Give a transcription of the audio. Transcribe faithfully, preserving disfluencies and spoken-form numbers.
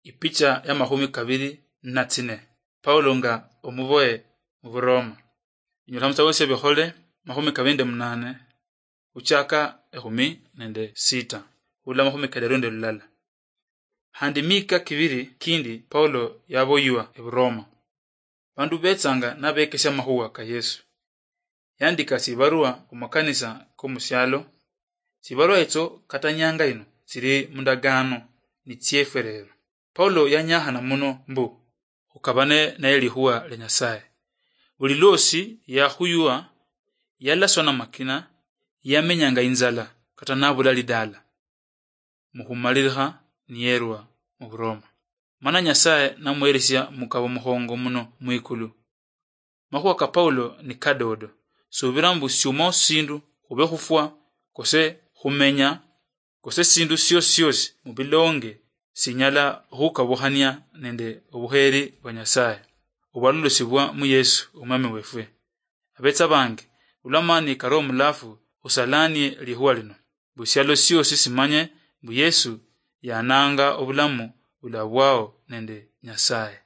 Ipicha ya makhumi kabiri na tsine. Paulo nga omuboye mu Buroma. Inyolekha mutsitabo tsia Bikhole makhumi kabiri nende munane, khuchaka ekhumi nende sita, khula makhumi kadaru nende lulala. Khandi miika kibiri kindi Paulo yaboywa eBuroma. Bandu betsanga nabekesia amakhuwa ka Yesu. Yandika tsibarua khumakanisa komusialo. Tsibarua etso kata nyanga ino tsili mundagaano nitsiefwe lero. Paulo yanyakhana muno mbu khukabane naye likhuwa lia Nyasaye. Buli lwosi yakhuywa, yalaswa namakina, yamenyanga inzala kata nabula lidala. Mukhumalilikha niyerwa muBuroma. Mana Nyasaye namuheresia mukabo mukhongo muno mwikulu. Makhuwa ka Paulo ni kadodo. Subira mbu siuma sindu, khube khufwa, kose khumenya, kose sindu siosi siosi mubilonge sinyala khukabukhania nende obukheri bwa Nyasaye, obwalolosibwa mu Yesu Omwami wefwe. Abetsa bange, olwa mani kali omulafu, khusalanie likhuwa lino, mbu sialo siosi simanye mbu Yesu yananga obulamu bulabwao nende Nyasaye.